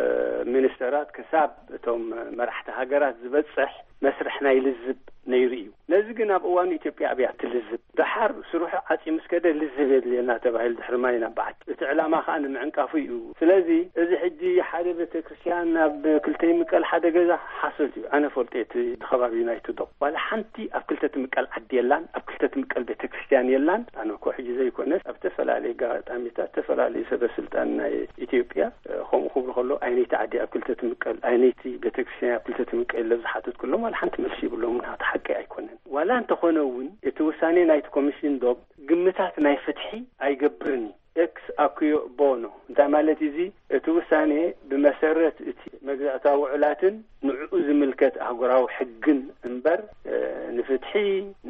ሚኒስተራት ክሳብ እቶም መራሕቲ ሃገራት ዝበጽሕ መስርሕ ናይ ልዝብ ነይሩ እዩ። ነዚ ግን ኣብ እዋኑ ኢትዮጵያ ኣብያ ትልዝብ። ደሓር ስርሑ ዓጽዩ ምስ ከደ ልዝብ የድልየና ተባሂሉ ድሕሪ ማይ ናብ በዓቲ። እቲ ዕላማ ከኣ ንምዕንቃፉ እዩ። ስለዚ እዚ ሕጂ ሓደ ቤተ ክርስቲያን ናብ ክልተ ይምቀል ሓደ ገዛ ሓሶት እዩ። ኣነ ፈልጦ እቲ ከባቢ ዩናይትድ ዶ ዋላ ሓንቲ ኣብ ክልተ ትምቀል ዓዲ የላን፣ ኣብ ክልተ ትምቀል ቤተ ክርስቲያን የላን። ኣነ እኮ ሕጂ ዘይኮነስ ኣብ ዝተፈላለዩ ኣጋጣሚታት ዝተፈላለዩ ሰበ ስልጣን ናይ ኢትዮጵያ፣ እ፣ ከምኡ ክብሉ ከሎ ኣይነይቲ ዓዲ ኣብ ክልተ ትምቀል፣ ኣይነይቲ ቤተክርስትያን ኣብ ክልተ ትምቀል ኢለ ዝሓተትኩሎም ዋላ ሓንቲ መልሲ ይብሎም። ናቱ ሓቂ ኣይኮነን። ዋላ እንተኾነ እውን እቲ ውሳኔ ናይቲ ኮሚሽን ዶብ ግምታት ናይ ፍትሒ ኣይገብርን እዩ። ኤክስ ኣኩዮ ቦኖ እንታይ ማለት እዩ? እዚ እቲ ውሳኔ ብመሰረት እቲ መግዛእታዊ ውዕላትን ንዕኡ ዝምልከት ኣህጉራዊ ሕግን እምበር፣ እ፣ ንፍትሒ፣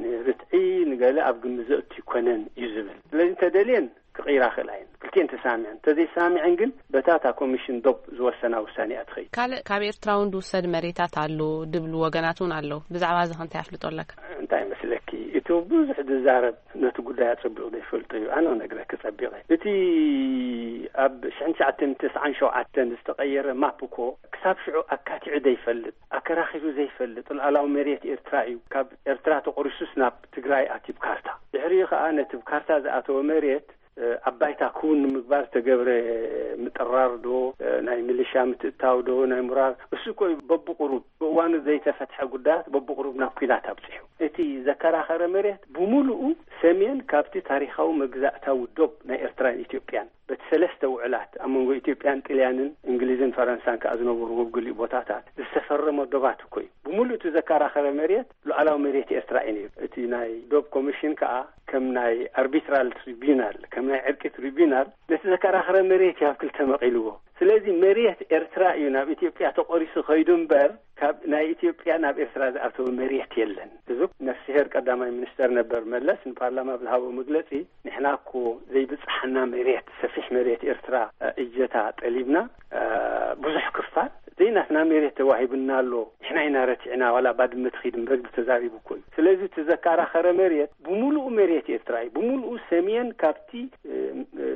ንርትዒ፣ ንገለ ኣብ ግምት ዘእቱ ኣይኮነን እዩ ዝብል። ስለዚ እንተደልየን ክቕይራ ክእላ እየን። ክልቲኤን ተሳሚዐን። እንተዘይሳሚዐን ግን በታ እታ ኮሚሽን ዶብ ዝወሰና ውሳኔ እያ ትኸይድ። ካልእ ካብ ኤርትራ እውን ዝውሰድ መሬታት ኣሎ ድብሉ ወገናት እውን ኣለዉ። ብዛዕባ እዚ ከ እንታይ ኣፍልጦ ኣለካ? እንታይ ይመስለኪ? እቲ ብዙሕ ዝዛረብ ነቲ ጉዳይ ኣጸቢቑ ዘይፈልጦ እዩ። ኣነ ክነግረኪ ጸቢቐ። እቲ ኣብ ሽሕን ትሽዓተ ሚእትን ተስዓን ሸውዓተን ዝተቐየረ ማፕ እኮ ክሳብ ሽዑ ኣካቲዑ ዘይፈልጥ፣ ኣከራኺሩ ዘይፈልጥ ሉዓላዊ መሬት ኤርትራ እዩ። ካብ ኤርትራ ተቖሪሱስ ናብ ትግራይ ኣትዩ ብካርታ። ድሕሪኡ ከኣ ነቲ ብካርታ ዝኣተወ መሬት እ፣ ኣብ ባይታ ክውን ንምግባር ዝተገብረ ምጥራር ዶ፣ እ፣ ናይ ሚሊሻ ምትእታው ዶ፣ ናይ ምራር፣ እሱ እኮ እዩ በብቁሩብ፣ ብእዋኑ ዘይተፈትሐ ጉዳያት በብቁሩብ ናብ ኲናት ኣብጺሑ። እቲ ዘከራኸረ መሬት ብምሉኡ ሰሜን ካብቲ ታሪኻዊ መግዛእታዊ ዶብ ናይ ኤርትራን ኢትዮጵያን፣ በቲ ሰለስተ ውዕላት ኣብ መንጎ ኢትዮጵያን ጥልያንን እንግሊዝን ፈረንሳን ከኣ ዝነበሩ ኣብ ገሊኡ ቦታታት ዝተፈረመ ዶባት እኮ እዩ። ብምሉእ እቲ ዘከራኸረ መሬት ሉዓላዊ መሬት ኤርትራ እዩ ነይሩ። እቲ ናይ ዶብ ኮሚሽን ከኣ ከም ናይ ኣርቢትራል ትሪቢዩናል፣ ከም ናይ ዕርቂ ትሪቢዩናል ነቲ ዘከራኸረ መሬት እዩ ኣብ ክልተ መቒልዎ። ስለዚ መሬት ኤርትራ እዩ ናብ ኢትዮጵያ ተቖሪሱ ከይዱ እምበር፣ ካብ ናይ ኢትዮጵያ ናብ ኤርትራ ዝኣተወ መሬት የለን። እዚ ነፍስሄር ቀዳማይ ሚኒስተር ነበር መለስ ንፓርላማ ብዝሃቦ መግለጺ፣ ንሕና እኮ ዘይብጽሓና መሬት፣ ሰፊሕ መሬት ኤርትራ፣ እ፣ እጀታ ጠሊብና፣ እ፣ ብዙሕ ክፋል ዘይናትና መሬት ተዋሂብና ኣሎ። ንሕና ኢና ረቲዕና፣ ዋላ ባድመ ትኺድ እምበር ኢሉ ተዛሪቡ እኮ እዩ። ስለዚ እቲ ዘከራኸረ መሬት ብምሉኡ መሬት ኤርትራ እዩ። ብምሉኡ ሰሜን ካብቲ፣ እ፣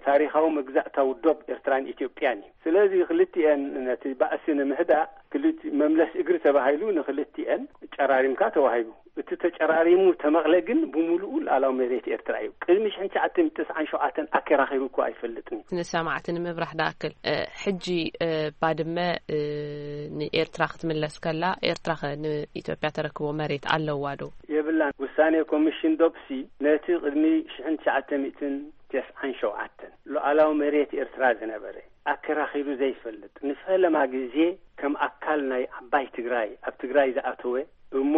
ታሪኻዊ መግዛእታዊ ዶብ ኤርትራን ኢትዮጵያን እዩ። ስለዚ ክልቲኤን ነቲ ባእሲ ንምህዳእ ክልቲ-፣ መምለስ እግሪ ተባሂሉ ንክልቲኤን ጨራሪምካ ተዋሂቡ። እቲ ተጨራሪሙ ተመቕለ ግን ብምሉኡ ሉዓላዊ መሬት ኤርትራ እዩ። ቅድሚ ሽሕን ትሽዓተ ሚእትን ተስዓን ሸውዓተን ኣከራኺሩ እኮ ኣይፈልጥን እዩ። ንሰማዕቲ ንምብራህ ድኣክል፣ እ፣ ሕጂ፣ እ፣ ባድመ፣ እ፣ ንኤርትራ ክትምለስ ከላ፣ ኤርትራ ኸ ንኢትዮጵያ ተረክቦ መሬት ኣለዋ ዶ? የብላን። ውሳኔ ኮሚሽን ዶብሲ ነቲ ቅድሚ ሽሕን ትሽዓተ ሚእትን ተስዓን ሸውዓተን ሉዓላዊ መሬት ኤርትራ ዝነበረ ኣከራኺሩ ዘይፈልጥ፣ ንፈለማ ግዜ ከም ኣካል ናይ ዓባይ ትግራይ ኣብ ትግራይ ዝኣተወ እሞ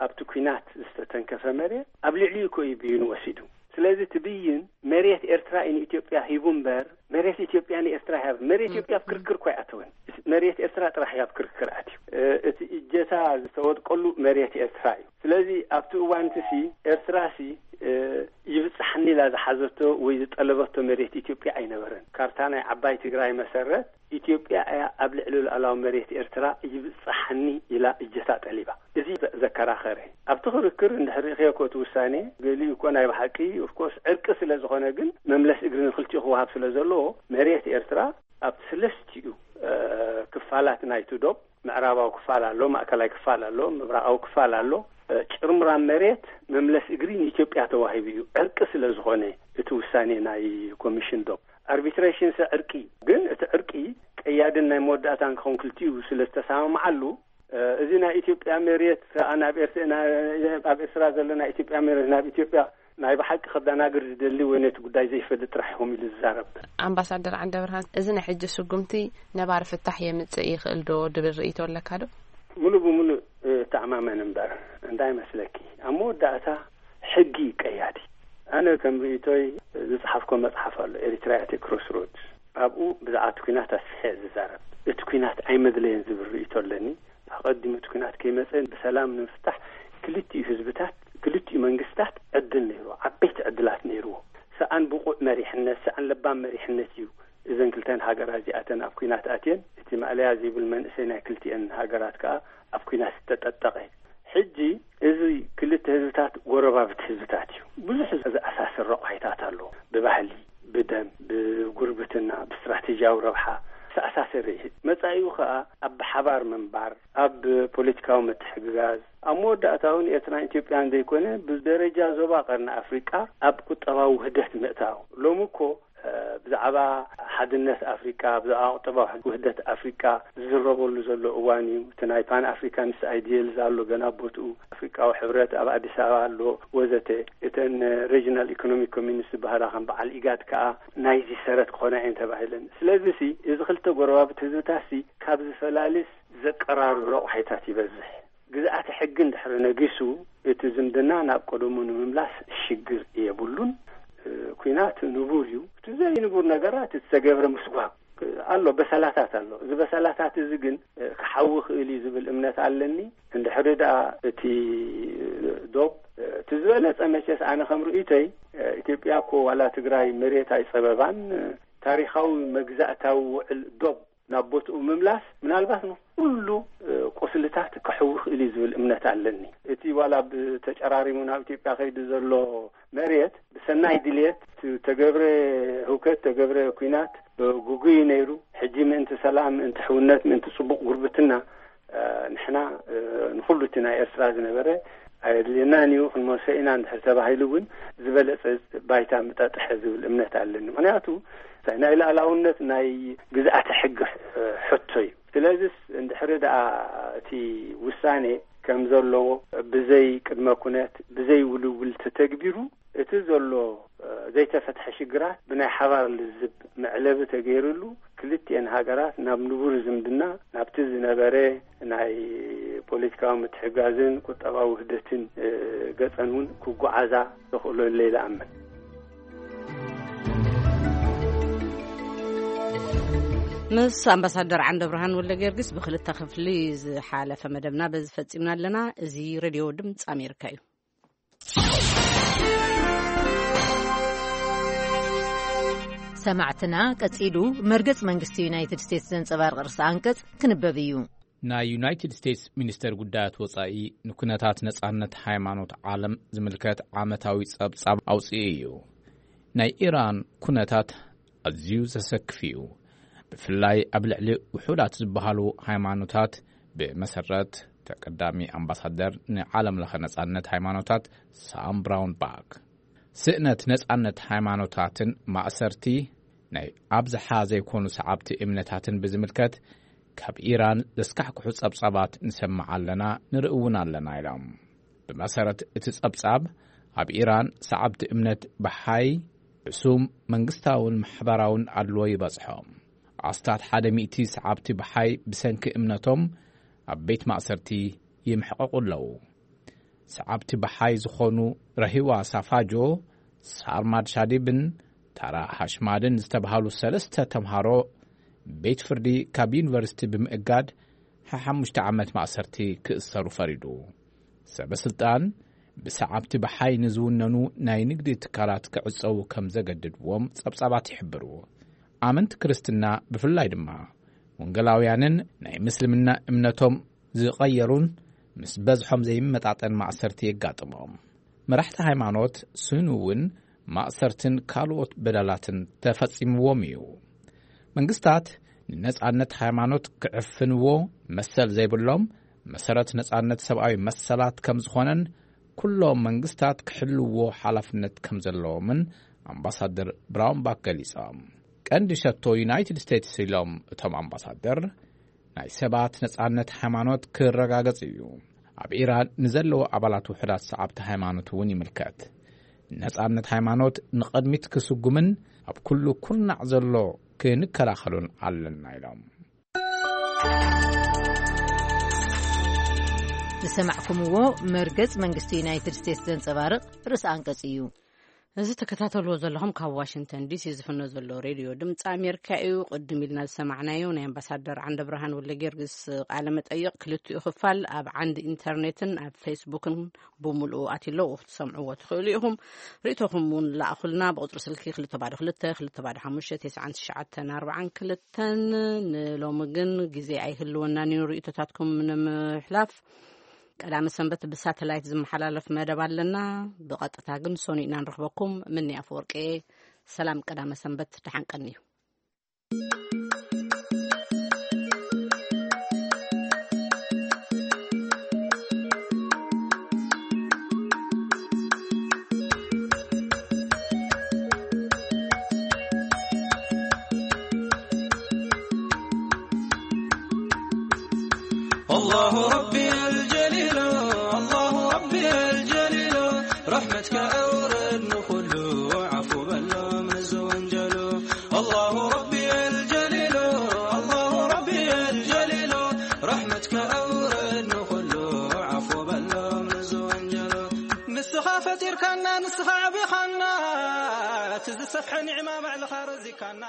ኣብቲ ኲናት ዝተተንከፈ መሬት ኣብ ልዕሊኡ እኮ እዩ ብይኑ ወሲዱ። ስለዚ እቲ ብይን መሬት ኤርትራ እዩ ንኢትዮጵያ ሂቡ እምበር መሬት ኢትዮጵያ ንኤርትራ ይሃብ። መሬት ኢትዮጵያ ኣብ ክርክር እኮ ኣይኣተወን። መሬት ኤርትራ ጥራሕ እዩ ኣብ ክርክር ኣትዩ። እ፣ እቲ እጀታ ዝተወድቀሉ መሬት ኤርትራ እዩ። ስለዚ ኣብቲ እዋን እቲ ሲ ኤርትራ ሲ፣ እ፣ ይብጽሓኒ ኢላ ዝሓዘቶ ወይ ዝጠለበቶ መሬት ኢትዮጵያ ኣይነበረን። ካርታ ናይ ዓባይ ትግራይ መሰረት ኢትዮጵያ እያ ኣብ ልዕሊ ሉዓላዊ መሬት ኤርትራ ይብጽሓኒ ኢላ እጀታ ጠሊባ። እዚ ዘ-፣ ዘከራኸረ። ኣብቲ ክርክር እንድሕር ርኢኽዮ እኮ እቲ ውሳኔ ገሊኡ እኮ ናይ ብሓቂ ኦፍኮርስ ዕርቂ ስለ ዝኾነ ግን መምለስ እግሪ ንክልቲኡ ክወሃብ ስለ ዘለዎ መሬት ኤርትራ ኣብ ሰለስቲኡ፣ እ፣ ክፋላት ናይቲ ዶብ ምዕራባዊ ክፋል ኣሎ፣ ማእከላይ ክፋል ኣሎ፣ ምብራቓዊ ክፋል ኣሎ። እ፣ ጭርምራም መሬት መምለስ እግሪ ንኢትዮጵያ ተዋሂቡ እዩ። ዕርቂ ስለ ዝኾነ እቲ ውሳኔ ናይ ኮሚሽን ዶብ ኣርቢትሬሽን ሲ ዕርቂ እዩ። ግን እቲ ዕርቂ ቀያድን ናይ መወዳእታን ክኸውን ክልቲኡ ስለ ዝተሰማምዓሉ፣ እ፣ እዚ ናይ ኢትዮጵያ መሬት ከኣ ናብ ኤርት-፣ ና-፣ ኣብ ኤርትራ ዘሎ ናይ ኢትዮጵያ መሬት ናብ ኢትዮጵያ ናይ ብሓቂ ከደናግር ዝደሊ ወይ ነቲ ጉዳይ ዘይፈልጥ ጥራሕ ይኾም ኢሉ ዝዛረብ። ኣምባሳደር ዓንደብርሃን፣ እዚ ናይ ሕጂ ስጉምቲ ነባሪ ፍታሕ የምጽእ ይኽእል ዶ ድብል ርእይቶ ኣለካ ዶ? ሙሉእ ብሙሉእ፣ እ፣ ተኣማመን እምበር፣ እንታይ መስለኪ፣ ኣብ መወዳእታ ሕጊ እዩ ቀያዲ። ኣነ ከም ርእይቶይ ዝጸሓፍኮ መጽሓፍ ኣሎ፣ ኤሪትሪያ ኣት ክሮስሮድስ። ኣብኡ ብዛዕባ እቲ ኲናት ኣስፊሐ እየ ዝዛረብ። እቲ ኲናት ኣይመድለየን ዝብል ርእይቶ ኣለኒ። ኣቐዲሙ እቲ ኲናት ከይመጸ ብሰላም ንምፍታሕ ክልቲኡ ህዝብታት፣ ክልቲኡ መንግስታት ዕድል ነይርዎ፣ ዓበይቲ ዕድላት ነይርዎ። ሰኣን ብቑዕ መሪሕነት፣ ሰኣን ለባም መሪሕነት እዩ እዘን ክልተን ሃገራት እዚኣተን ኣብ ኲናት ኣትየን። እቲ ማእለያ ዘይብል መንእሰይ ናይ ክልቲኤን ሃገራት ከኣ ኣብ ኲናት ዝተጠጠቐ። ሕጂ እዚ ክልተ ህዝብታት ጎረባብቲ ህዝብታት እዩ። ብዙሕ ዘኣሳስር ረቋሒታት ኣለዎ። ብባህሊ፣ ብደም፣ ብጉርብትና፣ ብስትራቴጂያዊ ረብሓ ዝተኣሳሰረ እዩ። መጻኢኡ ከኣ ኣብ ብሓባር ምንባር፣ ኣብ ፖለቲካዊ ምትሕግጋዝ፣ ኣብ መወዳእታ እውን ኤርትራን ኢትዮጵያን ዘይኮነ ብደረጃ ዞባ ቀርኒ ኣፍሪቃ ኣብ ቁጠባዊ ውህደት ምእታው። ሎሚ እኮ ብዛዕባ ሓድነት ኣፍሪቃ፣ ብዛዕባ ቁጠባዊ ውህደት ኣፍሪቃ ዝዝረበሉ ዘሎ እዋን እዩ። እቲ ናይ ፓን ኣፍሪካንስ ኣይዲየል ኣሎ ገና ቦትኡ፣ ኣፍሪቃዊ ሕብረት ኣብ ኣዲስ ኣበባ ኣሎ፣ ወዘተ። እተን ሬጂናል ኢኮኖሚክ ኮሚኒስ ዝበሃላ ከም በዓል ኢጋድ ከዓ ናይዚ ሰረት ክኾና እየን ተባሂለን። ስለዚ ሲ እዚ ክልተ ጎረባብቲ ህዝብታት ሲ ካብ ዝፈላልስ ዘቀራርብ ረቑሒታት ይበዝሕ። ግዝኣተ ሕጊ እንድሕር ነጊሱ እቲ ዝምድና ናብ ቀደሙ ንምምላስ ሽግር የብሉን። ኩናት ንቡር እዩ። እቲ ዘይንቡር ነገራት እቲ ዝተገብረ ምስጓግ ኣሎ፣ በሰላታት ኣሎ። እዚ በሰላታት እዚ ግን ክሓዊ ክእል እዩ ዝብል እምነት ኣለኒ። እንድሕሪ ደኣ እቲ ዶብ እቲ ዝበለጸ መቸስ ኣነ ከም ርእይቶይ ኢትዮጵያ እኮ ዋላ ትግራይ መሬት ኣይጸበባን። ታሪኻዊ መግዛእታዊ ውዕል ዶብ ናብ ቦትኡ ምምላስ ምናልባት ንኩሉ ቁስልታት ክሕዊ ክእል እዩ ዝብል እምነት ኣለኒ። እቲ ዋላ ብተጨራሪሙ ናብ ኢትዮጵያ ከይዱ ዘሎ መሬት ብሰናይ ድልየት ተገብረ ህውከት፣ ተገብረ ኩናት ጉጉይ ነይሩ። ሕጂ ምእንቲ ሰላም፣ ምእንቲ ሕውነት፣ ምእንቲ ጽቡቕ ጉርብትና ንሕና ንኩሉ እቲ ናይ ኤርትራ ዝነበረ ኣየድልየናን እዩ፣ ክንመልሶ ኢና እንድሕር ተባሂሉ እውን ዝበለጸ ባይታ ምጠጥሐ ዝብል እምነት ኣለኒ። ምክንያቱ ናይ ልኣላውነት ናይ ግዝኣተ ሕጊ ሕቶ እዩ። ስለዚስ እንድሕሪ ደኣ እቲ ውሳኔ ከም ዘለዎ ብዘይ ቅድመ ኩነት ብዘይ ውልውል ተተግቢሩ እቲ ዘሎ ዘይተፈትሐ ሽግራት ብናይ ሓባር ልዝብ መዕለቢ ተገይርሉ ክልቲኤን ሃገራት ናብ ንቡር ዝምድና ናብቲ ዝነበረ ናይ ፖለቲካዊ ምትሕጋዝን ቁጠባዊ ውህደትን ገጸን እውን ክጓዓዛ ተኽእሎ ኢለ ይኣምን። ምስ ኣምባሳደር ዓንደ ብርሃን ወልደ ጊዮርጊስ ብክልተ ክፍሊ ዝሓለፈ መደብና በዚ ፈጺምና ኣለና። እዚ ሬድዮ ድምፂ ኣሜሪካ እዩ። ሰማዕትና፣ ቀጺሉ መርገጽ መንግስቲ ዩናይትድ ስቴትስ ዘንጸባርቕ ርእሰ ኣንቀጽ ክንበብ እዩ። ናይ ዩናይትድ ስቴትስ ሚኒስተር ጉዳያት ወጻኢ ንኩነታት ነጻነት ሃይማኖት ዓለም ዝምልከት ዓመታዊ ጸብጻብ ኣውጽኡ እዩ። ናይ ኢራን ኩነታት ኣዝዩ ዘሰክፍ እዩ። ብፍላይ ኣብ ልዕሊ ውሑዳት ዝበሃሉ ሃይማኖታት፣ ብመሰረት ተቀዳሚ ኣምባሳደር ንዓለም ለኸ ነጻነት ሃይማኖታት ሳም ብራውን ባክ፣ ስእነት ነጻነት ሃይማኖታትን ማእሰርቲ ናይ ኣብዝሓ ዘይኮኑ ሰዓብቲ እምነታትን ብዝምልከት ካብ ኢራን ዘስካሕክሑ ጸብጻባት ንሰምዕ ኣለና፣ ንርኢ እውን ኣለና ኢሎም። ብመሰረት እቲ ጸብጻብ፣ ኣብ ኢራን ሰዓብቲ እምነት ብሓይ ሕሱም መንግስታውን ማሕበራውን ኣድልዎ ይበጽሖም። ኣስታት ሓደ ሚእቲ ሰዓብቲ ብሓይ ብሰንኪ እምነቶም ኣብ ቤት ማእሰርቲ ይምሕቐቑ ኣለዉ። ሰዓብቲ ብሓይ ዝኾኑ ረሂዋ ሳፋጆ፣ ሳርማድ ሻዲብን ታራ ሃሽማድን ዝተባህሉ ሰለስተ ተምሃሮ ቤት ፍርዲ ካብ ዩኒቨርሲቲ ብምእጋድ ሓሓሙሽተ ዓመት ማእሰርቲ ክእሰሩ ፈሪዱ። ሰበ ስልጣን ብሰዓብቲ ብሓይ ንዝውነኑ ናይ ንግዲ ትካላት ክዕጸዉ ከም ዘገድድዎም ጸብጻባት ይሕብሩ። ኣመንቲ ክርስትና ብፍላይ ድማ ወንጌላውያንን ናይ ምስልምና እምነቶም ዝቐየሩን ምስ በዝሖም ዘይመጣጠን ማእሰርቲ የጋጥሞም። መራሕቲ ሃይማኖት ስኑ እውን ማእሰርትን ካልኦት በደላትን ተፈጺምዎም እዩ። መንግስታት ንነጻነት ሃይማኖት ክዕፍንዎ መሰል ዘይብሎም፣ መሰረት ነጻነት ሰብኣዊ መሰላት ከም ዝኾነን ኩሎም መንግስታት ክሕልዎ ሓላፍነት ከም ዘለዎምን ኣምባሳደር ብራውንባክ ገሊጾም። ቀንዲ ሸቶ ዩናይትድ ስቴትስ ኢሎም እቶም ኣምባሳደር፣ ናይ ሰባት ነጻነት ሃይማኖት ክረጋገጽ እዩ። ኣብ ኢራን ንዘለዉ ኣባላት ውሑዳት ሰዓብቲ ሃይማኖት እውን ይምልከት። ነጻነት ሃይማኖት ንቐድሚት ክስጉምን ኣብ ኩሉ ኩርናዕ ዘሎ ክንከላኸሉን ኣለና ኢሎም። ዝሰማዕኩምዎ መርገጽ መንግስቲ ዩናይትድ ስቴትስ ዘንጸባርቕ ርእሲ ኣንቀጽ እዩ። እዚ ተከታተልዎ ዘለኹም ካብ ዋሽንግተን ዲሲ ዝፍኖ ዘሎ ሬድዮ ድምፂ ኣሜሪካ እዩ። ቅድም ኢልና ዝሰማዕናዮ ናይ ኣምባሳደር ዓንደ ብርሃን ወልደ ጊዮርጊስ ቃለ መጠይቕ ክልቲኡ ክፋል ኣብ ዓንዲ ኢንተርኔትን ኣብ ፌስቡክን ብምልኡ ኣትለዉ ክትሰምዕዎ ትኽእሉ ኢኹም። ርእቶኹም እውን ላእኹልና ብቁፅሪ ስልኪ ክልተ ባዶ ክልተ ክልተ ባዶ ሓሙሽተ ተስዓን ትሽዓተን ኣርባዓን ክልተን። ንሎሚ ግን ግዜ ኣይህልወናን እዩ ርእቶታትኩም ንምሕላፍ። ቀዳመ ሰንበት ብሳተላይት ዝመሓላለፍ መደብ ኣለና። ብቐጥታ ግን ሰኑይ ኢና ንረኽበኩም። ምኒ ኣፈወርቂ፣ ሰላም ቀዳመ ሰንበት፣ ደሓን ቀንዩ። ኣላሁ ረቢ ኣልጀሊሉ፣ ኣላሁ ረቢ ኣልጀሊሉ፣ ረሕመትካ ኣውርድ ንኹሉ፣ ዓፉ በሎም ንዝወንጀሉ። ኣላሁ ረቢ ኣልጀሊሉ፣ ኣላሁ ረቢ ኣልጀሊሉ፣ ረሕመትካ ኣውርድ ንኹሉ፣ ዓፉ በሎም ንዝወንጀሉ። ንስኻ ፈጢርካና፣ ንስኻ ኣዕቢኻና፣ እቲ ዝሰፍሐ ኒዕማ ባዕልኻ ረዚካና።